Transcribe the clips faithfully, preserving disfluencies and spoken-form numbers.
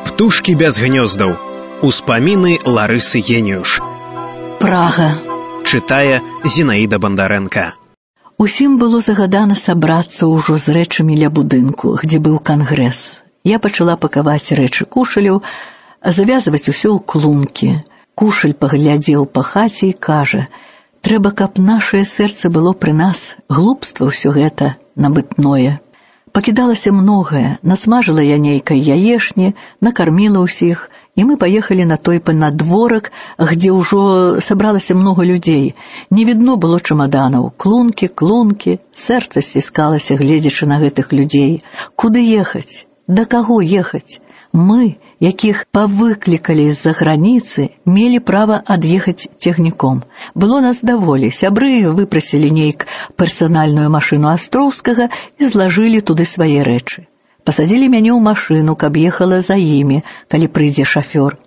Птушкі без гнёздаў. Успаміны Ларысы Геніюш. Прага. Чытае Зінаіда Бандарэнка. Усім было загадана сабрацца ўжо з рэчамі ля будынку, дзе быў кангрэс. Я пачала пакаваць рэчы кушаляў, завязваць усё ў клункі. Кушаль паглядзеў па хаце і кажа: «Трэба, каб нашае сэрца было пры нас, глупства ўсё гэта набытное». Пакідалася многае, насмажыла я нейкай яешні, накарміла ўсіх, і мы паехалі на той панадворак, где ўжо сабралася много людзей. Не відно было чамаданаў, клункі, клункі, сэрца сціскалася, гледзячы на гэтых людзей. Куды ехаць? Да каго ехаць? Мы, якіх павыклікалі з-за граніцы, мелі права ад'ехаць цягніком. Было нас даволі, сябры выпрасілі нейк персанальную машыну Астроўскага і злажылі туды свае рэчы. Пасадзілі мяне ў машыну, каб ехала за імі, калі прыйдзе шафёр.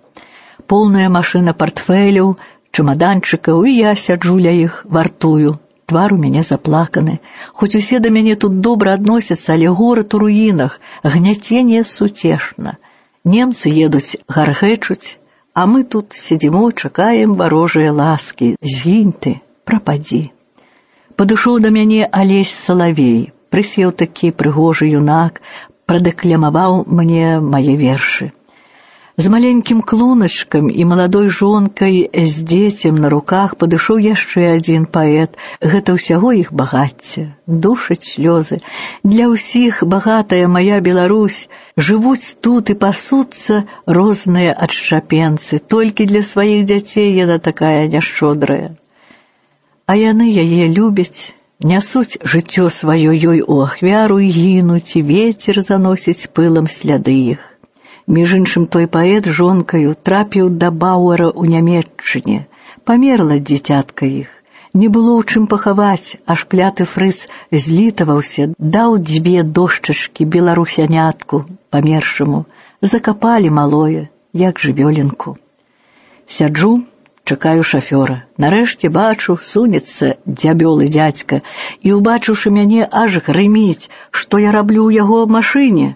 Поўная машына партфеляў, чамаданчыкаў, і я сяджу ля іх, вартую. Твар у мяне заплаканы. Хоць усе да мяне тут добра адносяцца, але горад у руінах, гняценне сутешна. Немцы едуць, гаргэчуць, а мы тут сидимо, чакаем варожыя ласкі. Згінь ты, прападзі. Падышоў да мяне Алесь Салавей, прысеў такі прыгожы юнак, прадэкламаваў мне мае вершы. З маленькім клуначкам і маладой жонкай з дзецем на руках падышоў яшчэ адзін паэт. Гэта ўсяго іх багацце, душаць слёзы. Для ўсіх багатая моя Беларусь, жывуць тут і пасуцца розныя адшчапенцы. Толькі для сваіх дзяцей яна такая няшчодрая. А яны яе любяць, нясуць жыццё сваё ёй у ахвяру і гінуць, і вецер заносіць пылам сляды іх. Між іншым, той паэт жонкаю трапіў да Бауэра ў Нямецчыне. Памерла дзіцятка іх. Не было ў чым пахаваць, аж кляты фрыц злітаваўся, даў дзве дошчачкі беларусянятку памершаму. Закапалі малое, як жывёленку. Сяджу, чакаю шафёра. Нарэшце бачу, сунецца дзябёлы дзядзька, і, убачыўшы мяне, аж грыміць, што я раблю ў яго машыне.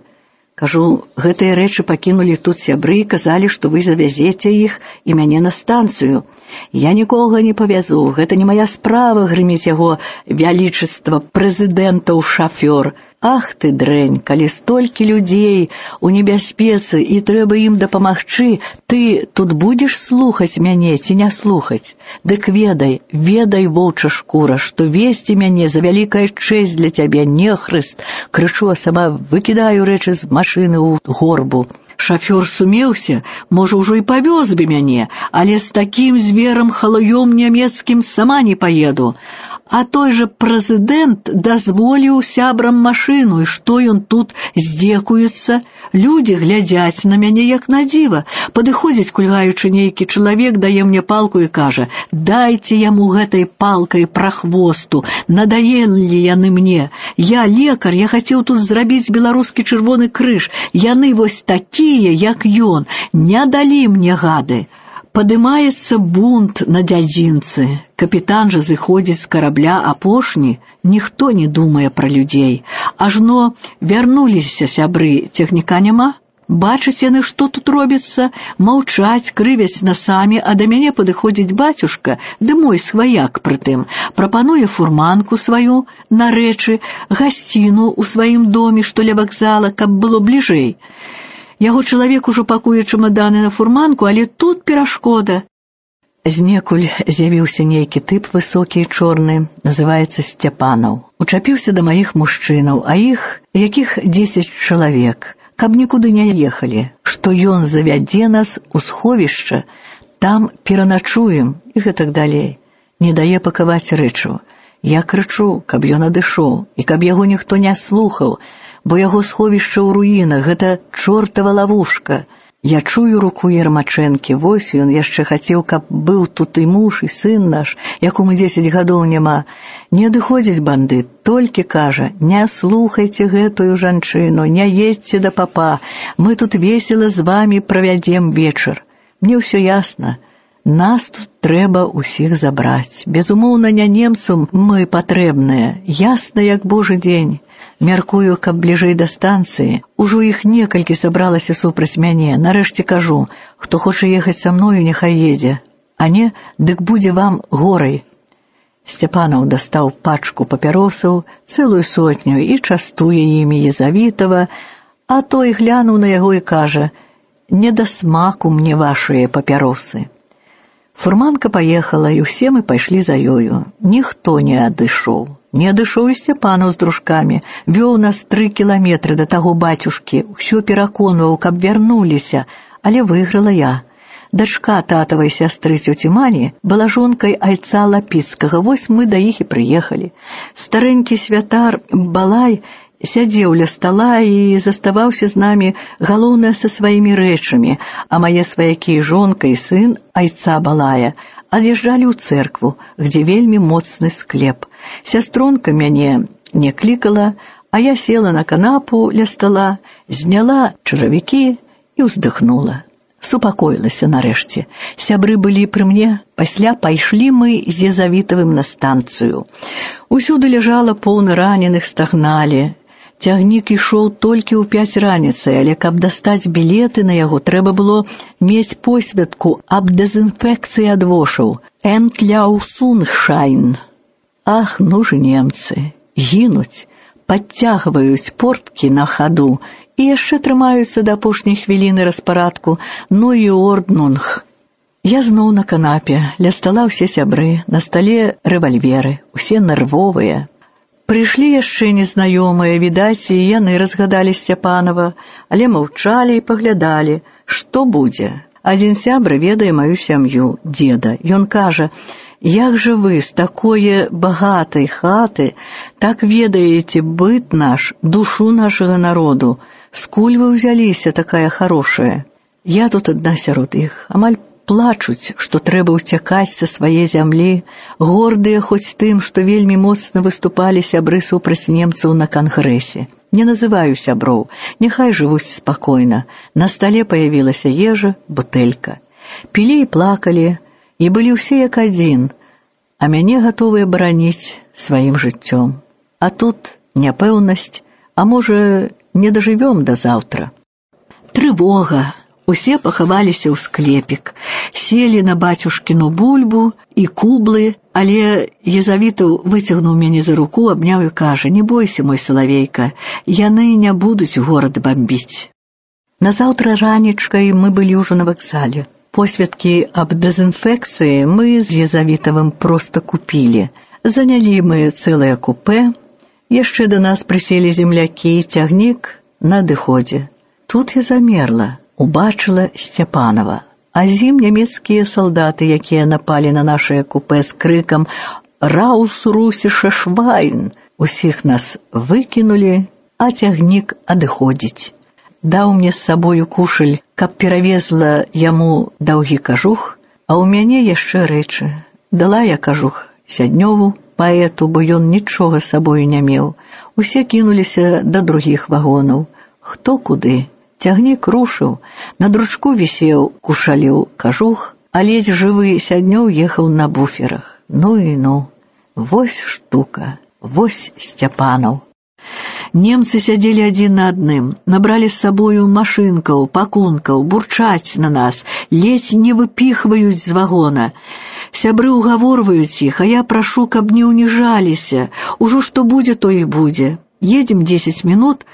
Кажу, гэтыя рэчы пакінулі тут сябры і казалі, што вы завязеце іх і мяне на станцыю. Я нікога не павязу, гэта не моя справа, грыміць яго вялічыства прэзідэнтаў шафёр. Ах ты, дрэнь, калі столькі людзей у небяспецы і трэба ім дапамагчы, ты тут будзеш слухаць мяне ці не слухаць? Дык ведай, ведай, воўча шкура, што весці мяне за вялікая чэсць для цябе, нехрыст. Крычу, а сама выкідаю рэчы з машыны ў горбу. Шафёр сумеўся, можа, ўжо і павёз бы мяне, але з такім зверам халуём нямецкім сама не паеду. А той жа прэзідэнт дазволіў сябрам машыну, і што ён тут здзекуецца? Людзі глядзяць на мяне як на дзіва. Падыходзіць, кульгаючы, нейкі чалавек, дае мне палку і кажа: «Дайце яму гэтай палкай прахвосту, надоелі яны мне. Я лекар, я хацеў тут зрабіць беларускі чырвоны крыж. Яны вось такія, як ён, не далі мне гады». Падымаецца бунт на дзядзінцы. Капітан жа зыходзіць з карабля апошні. Ніхто не думае пра людзей. Ажно вярнуліся сябры, цягніка няма. Бачаць яны, што тут робіцца, маўчаць, крывяць насамі, а да мяне падыходзіць бацюшка, ды мой сваяк прытым, прапануе фурманку сваю на рэчы, гасціну ў сваім доме, што ля вакзала, каб было бліжэй. Яго чалавек ужо пакуе чамаданы на фурманку, але тут перашкода. Знекуль з'явіўся нейкі тып высокі і чорны, называецца Сцяпанаў. Учапіўся да маіх мужчынаў, а іх, якіх дзесяць чалавек, каб нікуды не ехалі, што ён завядзе нас у сховішча, там пераначуем і гэтак далей. Не дае пакаваць рэчу. Я крычу, каб ён адышоў, і каб яго ніхто не слухаў, бо яго сховішча ў руінах, гэта чортава лавушка. Я чую руку Ермачэнкі, вось ён яшчэ хацеў, каб быў тут і муж, і сын наш, якому дзесяць гадоў няма. Не адыходзіць бандыт, толькі кажа: «Не слухайце гэтую жанчыну, не едзьце да папа, мы тут весела з вамі правядзем вечар». Мне ўсё ясна. Нас тут трэба ўсіх забраць. Безумоўна, не немцам мы патрэбныя. Ясна, як божы дзень. Мяркую, каб бліжэй да станцыі. Ужо іх некалькі сабралася супраць мяне. Нарэшце кажу, хто хоча ехаць са мною, няхай едзе. А не, дык будзе вам горай. Сцяпанаў дастаў пачку папяросаў, цэлую сотню, і частуе імі Езавітава, а той глянуў на яго і кажа: «Не да смаку мне вашыя папяросы». Фурманка паехала, і ўсе мы пайшлі за ёю. Ніхто не адышоў. Не адышоў і Сцяпанаў з дружкамі. Вёў нас тры кіламетры да таго бацюшкі, усё пераконваў, каб вярнуліся, але выйграла я. Дачка татавай сястры цёці Мані была жонкай айца Лапіцкага, вось мы да іх і прыехалі. Старэнькі святар Балай сядзеў ля стала і заставаўся з намі, галоўнае, са сваімі рэчамі, а мае сваякі, жонка і сын айца Балая, ад'язджалі ў цэркву, где вельмі моцны склеп. Сястронка мяне не клікала, а я села на канапу ля стала, зняла чаравікі і ўздыхнула. Супакоілася нарэшце. Сябры былі пры мне, пасля пайшлі мы з Езавітавым на станцыю. Усюды ляжала поўна раненых, стагналі. Цягнік ішоў толькі ў пяць раніцы, але каб дастаць білеты на яго, трэба было мець посведку аб дэзінфекцыі ад вошаў. Энтляусуншайн. Ах, ну ж немцы, гінуць, падцягваюць порткі на хаду і яшчэ трымаюцца да апошняй хвіліны распарадку, ну і орднунг. Я зноў на канапе, ля стала ўсе сябры, на стале рэвальверы, усе нервовыя. Прыйшлі яшчэ незнаёмыя, відаць, і яны разгадалі Сцяпанава, але маўчалі і паглядалі, што будзе. Адзін сябра ведае маю сям'ю, деда. Ён кажа: «Як жа вы з такое багатай хаты так ведаеце быт наш, душу нашага народу? Скуль вы ўзяліся такая хорошая?» Я тут адна сярод іх, амаль плачуць, што трэба ўцякаць са свае зямлі, гордыя хоць тым, што вельмі моцна выступалі сябры супраць немцаў на кангрэсе. Не называю сяброў, няхай жывуць спакойна. На стале паявілася ежа, бутэлька. Пілі і плакалі, і былі ўсе як адзін, а мяне гатовыя бараніць сваім жыццём. А тут няпэўнасць, а можа, не дажывём да заўтра. Трывога. Усе пахаваліся ў склепік, селі на бацюшкіну бульбу і кублы, але Езавітаў выцягнуў мяне за руку, абняў і кажа: «Не бойся, мой салавейка, яны не будуць горад бамбіць». Назаўтра ранечкай мы былі ўжо на вакзале. Посведкі аб дэзінфекцыі мы з Езавітавым проста купілі. Занялі мы цэлае купэ, яшчэ да нас прыселі землякі, цягнік на адыходзе. Тут я замерла. Убачыла Сцяпанава, а з ім нямецкія салдаты, якія напалі на нашае купэ з крыкам «Раус русіша швайн!». Усіх нас выкінулі, а цягнік адыходзіць. Даў мне з сабою кушаль, каб перавезла яму даўгі кажух, а ў мяне яшчэ рэчы. Дала я кажух Сяднёву, паэту, бо ён нічога з сабою не меў. Усе кінуліся да другіх вагонаў. Хто куды? Цягнік рушыў, на дручку вісеў кушалеў кажух, а ледзь жывы Сяднёў ехаў на буферах. Ну і ну, вось штука, вось Сцяпанаў. Немцы сядзелі адзін на адным, набралі з сабою машынкаў, пакункаў, бурчаць на нас, ледзь не выпіхваюць з вагона. Сябры угаворваюць іх, а я прашу, каб не ўніжаліся. Ужо што будзе, то і будзе. Едзем дзесяць мінут,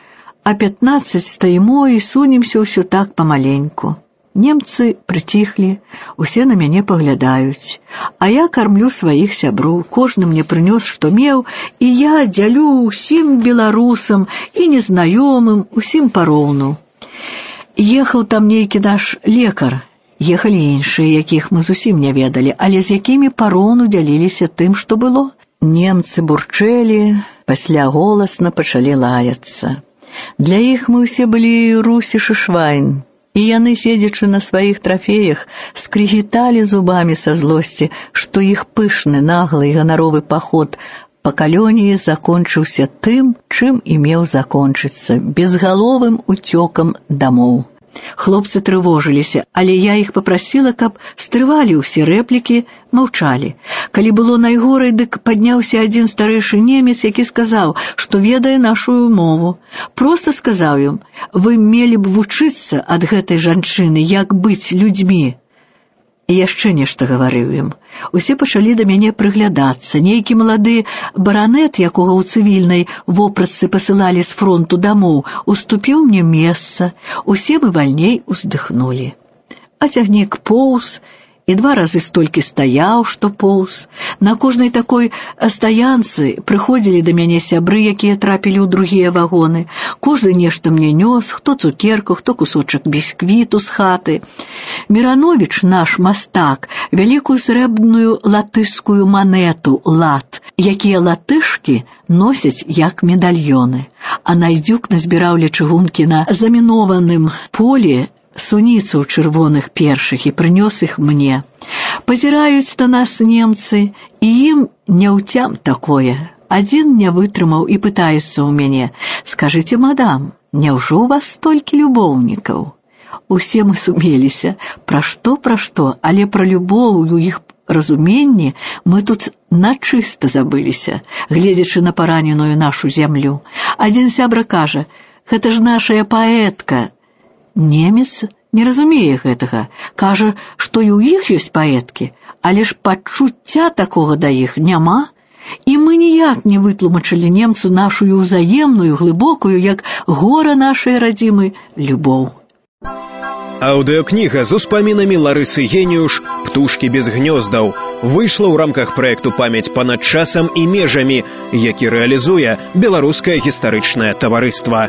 а пятнаццаць стаімо і сунемся ўсё так памаленьку. Немцы прыціхлі, усе на мяне паглядаюць. А я кармлю сваіх сяброў, кожны мне прынёс, што меў, і я дзялю ўсім беларусам і незнаёмым, усім пароўну. Ехаў там нейкі наш лекар, ехалі іншыя, якіх мы зусім не ведалі, але з якімі пароўну дзяліліся тым, што было. Немцы бурчэлі, пасля голасна пачалі лаяцца. Для іх мы ўсе былі русішы швайн, і яны, седзячы на сваіх трафеях, скрыгіталі зубамі са злосці, што іх пышны, наглы і ганаровы паход па калоніі закончыўся тым, чым і меў закончыцца, безгаловым уцёкам дамоў. Хлопцы трывожыліся, але я іх папрасіла, каб стрывалі ўсе рэплікі, маўчалі. Калі было найгорай, дык падняўся адзін старэйшы немец, які сказаў, што ведае нашую мову. Проста сказаў ім: «Вы мелі б вучыцца ад гэтай жанчыны, як быць людзьмі». І яшчэ нешта гаварыў ім. Усе пачалі да мяне прыглядацца. Нейкі малады баранет, якога ў цывільнай вопратцы пасылалі з фронту дамоў, уступіў мне месца. Усе мы вальней уздыхнулі. А цягнік поўз, і два разы столькі стаяў, што поўз. На кожнай такой стаянцы прыходзілі да мяне сябры, якія трапілі ў другія вагоны. Кожны нешта мне нёс, хто цукерку, хто кусочак бісквіту з хаты. Мірановіч, наш мастак, вялікую срэбную латышскую манету лат, якія латышкі носяць як медальёны. А Найдзюк назбіраў ля чыгункі на замінованым полі суніцаў чырвоных першых і прынёс іх мне. Пазіраюць на нас немцы, і ім няўцям такое. Адзін не вытрымаў і пытаецца ў мяне: «Скажыце, мадам, няўжо ў вас столькі любоўнікаў?» Усе мы сумеліся. Пра што, пра што, але пра любоў у іх разуменні мы тут начыста забыліся, гледзячы на параненую нашу зямлю. Адзін сябра кажа: «Гэта ж нашая паэтка». Немец не разумее гэтага. Кажа, што і ў іх ёсць паэткі, але ж пачуцця такога да іх няма. І мы ніяк не вытлумачылі немцу нашую ўзаемную, глыбокую, як гора нашай радзімы, любоў. Аўдыокніга з успамінамі Ларысы Геніюш «Птушкі без гнёздаў» выйшла ў рамках праекту «Памяць панад часам і межамі», які рэалізуе Беларускае гістарычнае таварыства.